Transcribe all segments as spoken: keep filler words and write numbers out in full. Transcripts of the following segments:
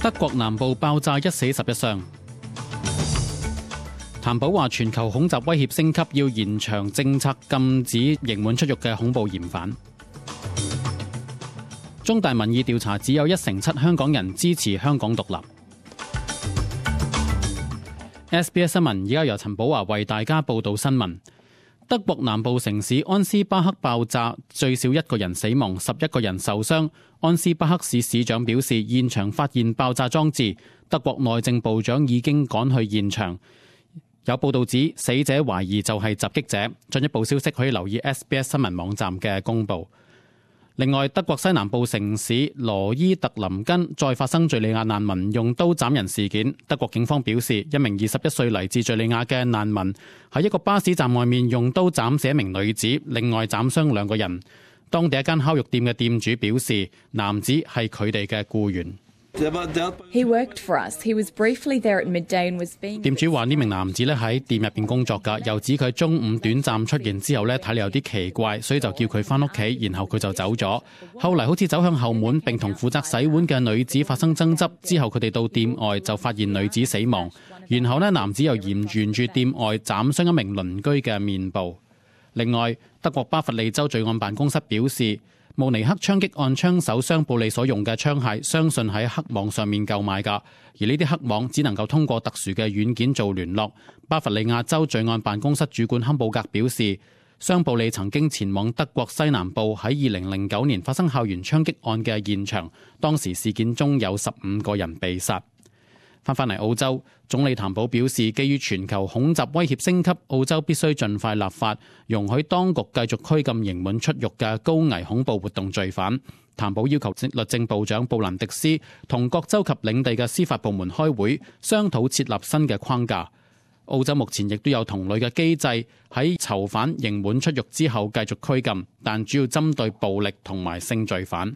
德國南部爆炸，一死十一傷。譚寶話全球恐襲威脅升級，要延長政策禁止刑滿出獄嘅恐怖嫌犯。中大民意調查只有一成七香港人支持香港獨立。S B S 新聞而家由陳寶華為大家報道新聞。德國南部城市安斯巴克爆炸，最少一個人死亡，十一個人受傷。安斯巴克市市長表示，現場發現爆炸裝置，德國內政部長已經趕去現場。有報道指死者懷疑就係襲擊者。進一步消息可以留意 S B S 新聞網站嘅公佈。另外，德國西南部城市羅伊特林根再發生敘利亞難民用刀斬人事件。德國警方表示，一名二十一歲嚟自敘利亞嘅難民喺一個巴士站外面用刀斬死一名女子，另外斬傷兩個人。當地一間烤肉店嘅店主表示，男子係佢哋嘅僱員。He worked for us. He was briefly there at midday and was being... 店主話呢名男子咧喺店入邊工作㗎，又指佢中午短暫出現之後咧睇嚟有啲奇怪，所以就叫佢返屋企，然後佢就走咗。後嚟好似走向後門並同負責洗碗嘅女子發生爭執，之後佢哋到店外就發現女子死亡，然後呢男子又沿沿住店外斬傷一名鄰居嘅面部。另外，德國巴伐利州罪案辦公室表示，慕尼黑槍擊案槍手雙布利所用嘅槍械，相信喺黑網上面購買㗎，而呢啲黑網只能夠通過特殊嘅軟件做聯絡。巴伐利亞州罪案辦公室主管坎布格表示，雙布利曾經前往德國西南部喺二零零九年發生校園槍擊案嘅現場，當時事件中有十五個人被殺。翻返嚟澳洲，總理譚寶表示，基於全球恐襲威脅升級，澳洲必須盡快立法，容許當局繼續拘禁刑滿出獄嘅高危恐怖活動罪犯。譚寶要求律政部長布蘭迪斯同各州及領地嘅司法部門開會，商討設立新嘅框架。澳洲目前亦都有同類嘅機制，喺囚犯刑滿出獄之後繼續拘禁，但主要針對暴力同埋性罪犯。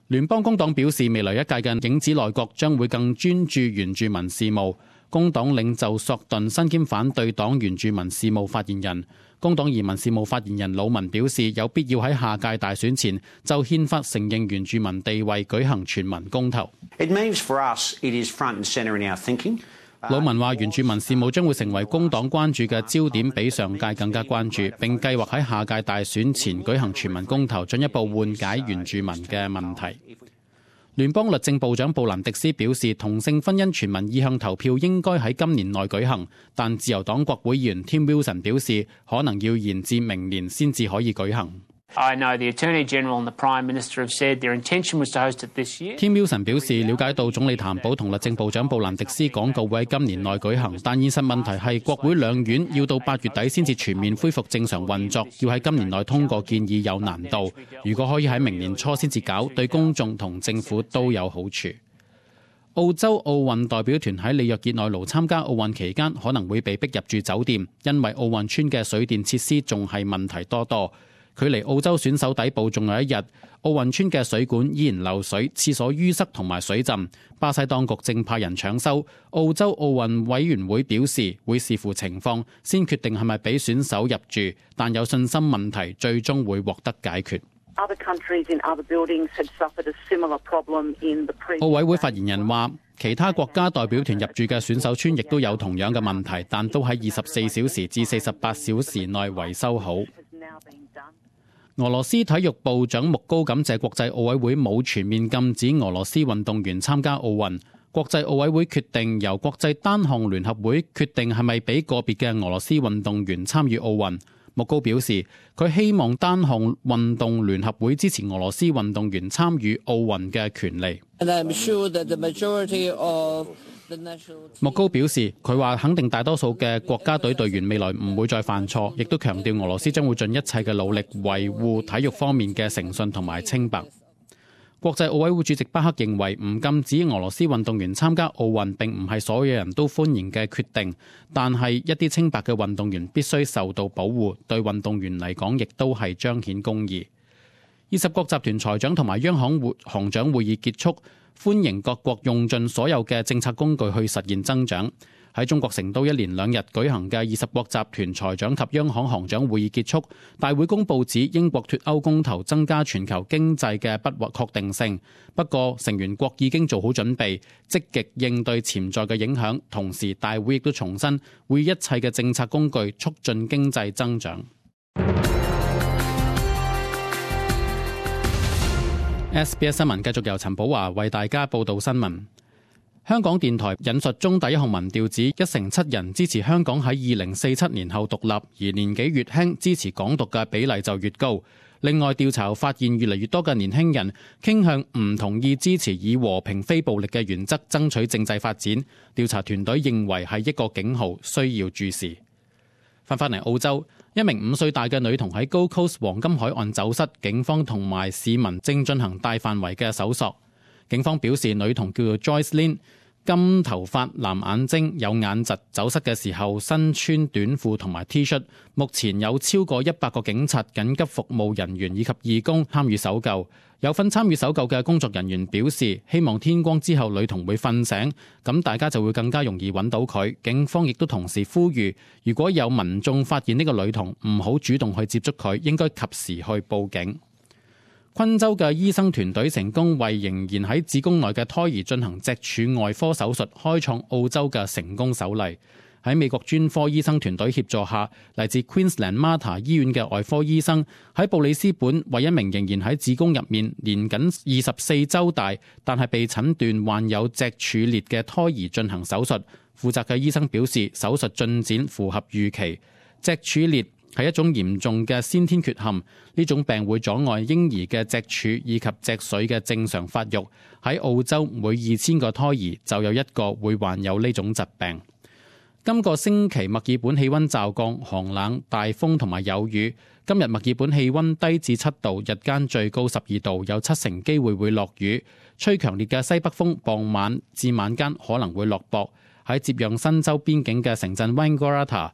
聯邦工黨表示，未來一屆嘅影子內閣將會更專注原住民事務。工黨領袖索頓身兼反對黨原住民事務發言人。工黨移民事務發言人魯文表示，有必要喺下屆大選前就憲法承認原住民地位舉行全民公投。It means for us, it is front and center in our thinking. 魯文話，原住民事務將會成為工黨關注嘅焦點，比上屆更加關注，並計劃喺下屆大選前舉行全民公投，進一步緩解原住民嘅問題。聯邦律政部長布蘭迪斯表示，同性婚姻全民意向投票應該喺今年內舉行，但自由黨國會議員 Tim Wilson 表示，可能要延至明年先至可以舉行。I know the Attorney General and the Prime Minister have said their intention was to host it this year. Tim Wilson 表示，了解到總理譚寶同律政部長布蘭迪斯講過會喺今年內舉行，但現實問題係國會兩院要到八月底先至全面恢復正常運作，要喺今年內通過建議有難度。如果可以喺明年初先至搞，對公眾同政府都有好處。澳洲奧運代表團喺里約熱內盧參加奧運期間，可能會被逼入住酒店，因為奧運村嘅水電設施仲係問題多多。距離澳洲選手抵埗仲有一日，奧運村嘅水管依然漏水，廁所淤塞同埋水浸。巴西當局正派人搶修。澳洲奧運委員會表示會視乎情況，先決定係咪俾選手入住，但有信心問題最終會獲得解決。奧委會發言人話，其他國家代表團入住嘅選手村亦都有同樣嘅問題，但都喺二十四小時至四十八小時內維修好。俄羅斯體育部長穆高感謝國際奧委會冇全面禁止俄羅斯運動員參加奧運。國際奧委會決定由國際單項聯合會決定係咪俾個別嘅俄羅斯運動員參與奧運。穆高表示，佢希望單項運動聯合會支持俄羅斯運動員參與奧運嘅權利。穆高表示，佢話肯定大多數嘅國家隊隊員未來唔會再犯錯，亦都強調俄羅斯將會盡一切嘅努力維護體育方面嘅誠信同埋清白。國際奧委會主席巴克認為，唔禁止俄羅斯運動員參加奧運並唔係所有人都歡迎嘅決定，但係一啲清白嘅運動員必須受到保護，對運動員嚟講亦都係彰顯公義。二十國集團財長同埋央行會行長會議結束，歡迎各國用盡所有嘅政策工具去實現增長。喺中國成都一連兩日舉行嘅二十國集團財長及央行行長會議結束，大會公佈指英國脫歐公投增加全球經濟嘅不確定性。不過成員國已經做好準備，積極應對潛在嘅影響。同時，大會亦都重申會以一切嘅政策工具促進經濟增長。S B S 新聞繼續由陳寶華為大家報道新聞。香港電台引述中大一項民調指，一成七人支持香港喺二零四七年後獨立，而年紀越輕支持港獨嘅比例就越高。另外，調查發現越嚟越多嘅年輕人傾向唔同意支持以和平非暴力嘅原則爭取政制發展。調查團隊認為係一個警號，需要注視。翻返嚟澳洲，一名五歲大嘅女童喺 Gold Coast 黃金海岸走失，警方同埋市民正進行大範圍嘅搜索。警方表示，女童叫做 Joyce Lynn， 金頭髮、藍眼睛、有眼疾，走失嘅時候身穿短褲同埋 T 恤。目前有超過一百個警察、緊急服務人員以及義工參與搜救。有份參與搜救嘅工作人員表示，希望天光之後女童會瞓醒，咁大家就會更加容易揾到佢。警方亦都同時呼籲，如果有民眾發現呢個女童，唔好主動去接觸佢，應該及時去報警。昆州嘅醫生團隊成功為仍然喺子宮內嘅胎兒進行脊柱外科手術，開創澳洲嘅成功首例。喺美國專科醫生團隊協助下，嚟自 Queensland Mater 醫院嘅外科醫生喺布里斯本為一名仍然喺子宮入面年僅二十四週大，但係被診斷患有脊柱裂嘅胎兒進行手術。負責嘅醫生表示，手術進展符合預期。脊柱裂係一種嚴重嘅先天缺陷，呢種病會阻礙嬰兒嘅脊柱以及脊髓嘅正常發育。喺澳洲，每二千個胎兒就有一個會患有呢種疾病。今個星期墨爾本氣溫驟降，寒冷、大風同埋有雨。今日墨爾本氣溫低至七度，日間最高十二度，有七成機會會落雨。吹強烈嘅西北風，傍晚至晚間可能會落雹。喺接壤新州邊境嘅城鎮 Wangaratta，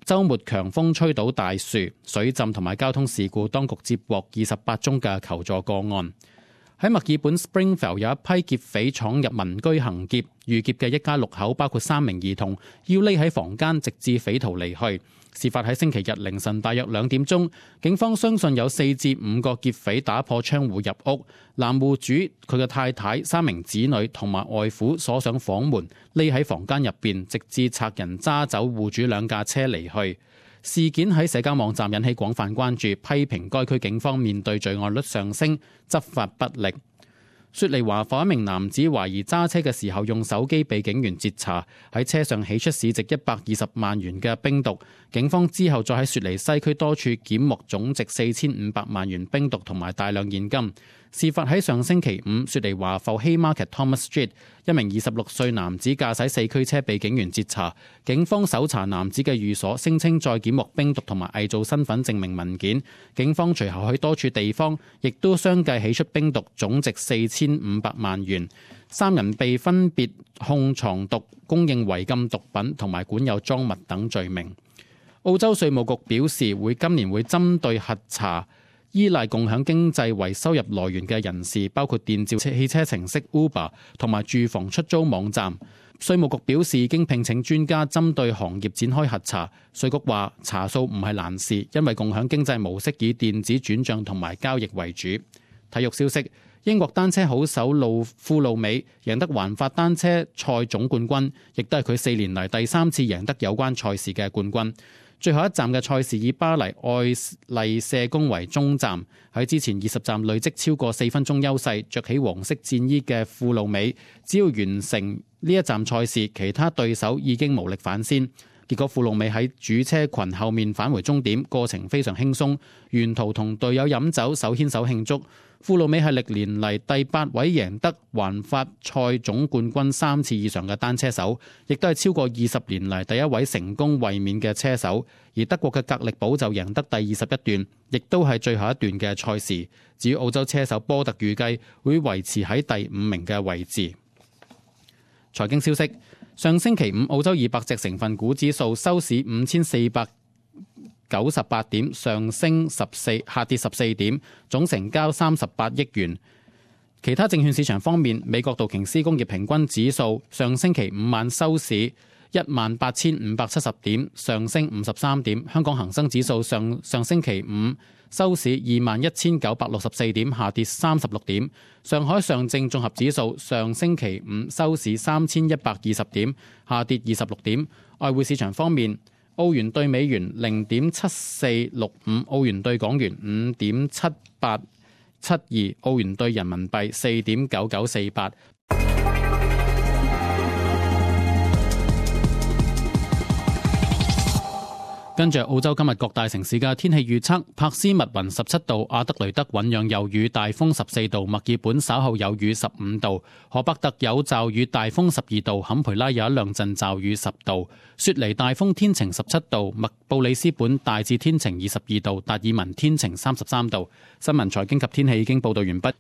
週末強風吹倒大樹、水浸同埋交通事故，當局接獲二十八宗嘅求助個案。喺墨爾本 Springvale 有一批劫匪闖入民居行劫，遇劫嘅一家六口包括三名兒童，要匿喺房間直至匪徒離去。事發喺星期日凌晨大約兩點鐘，警方相信有四至五個劫匪打破窗戶入屋，男戶主、佢嘅太太、三名子女同埋外父鎖上房門，匿喺房間入邊，直至賊人揸走戶主兩架車離去。事件喺社交網站引起廣泛關注，批評該區警方面對罪案率上升，執法不力。雪梨華埠一名男子懷疑揸車嘅時候用手機被警員截查，喺車上起出市值一百二十萬元嘅冰毒。警方之後再喺雪梨西區多處檢獲總值四千五百萬元冰毒同埋大量現金。事發喺上星期五，雪梨華埠 Haymarket Thomas Street， 一名二十六歲男子駕駛四驅車被警員截查，警方搜查男子嘅寓所，聲稱再檢獲冰毒同埋偽造身份證明文件。警方隨後喺多處地方亦都相繼起出冰毒，總值四千五百萬元。三人被分別控藏毒、供應違禁毒品同埋管有贓物等罪名。澳洲稅務局表示，會今年會針對核查依賴共享經濟為收入來源嘅人士，包括電召汽車程式 Uber 同埋住房出租網站。稅務局表示已經聘請專家針對行業展開核查。稅局話查數唔係難事，因為共享經濟模式以電子轉帳同埋交易為主。體育消息，英國單車好手路庫路美贏得環法單車賽總冠軍，亦都係佢四年嚟第三次贏得有關賽事嘅冠軍。最後一站嘅賽事以巴黎愛麗舍宮為終站，喺之前二十站累積超過四分鐘優勢，着起黃色戰衣嘅庫路美，只要完成呢一站賽事，其他對手已經無力反先。結果庫路美喺主車群後面返回終點，過程非常輕鬆，沿途同隊友飲酒手牽手慶祝。庫路美係歷年嚟第八位贏得環法賽總冠軍三次以上嘅單車手，亦都係超過二十年嚟第一位成功衛冕嘅車手。而德國嘅格力堡就贏得第二十一段，亦都係最後一段嘅賽事。至於澳洲車手波特預計會維持喺第五名嘅位置。財經消息，上星期五澳洲二百隻成分股指數收市五千四百九十八點，上升十四，下跌十四點，總成交三十八億元。其他證券市場方面，美國道瓊斯工業平均指數上星期五晚收市一萬八千五百七十點，上升五十三點。香港恒生指數上上星期五收市二萬一千九百六十四點，下跌三十六點。上海上證綜合指數上星期五收市三千一百二十點，下跌二十六點。外匯市場方面，澳元對美元零點七四六五，澳元對港元五點七八七二，澳元對人民幣四點九九四八。跟住澳洲今日各大城市嘅天氣預測：柏斯密雲十七度，阿德雷德醞釀有雨，大風十四度；墨爾本稍後有雨十五度；荷伯特有驟雨，大風十二度；坎培拉有一兩陣驟雨十度；雪梨大風天晴十七度；麥布里斯本大致天晴二十二度；達爾文天晴三十三度。新聞財經及天氣已經報道完畢。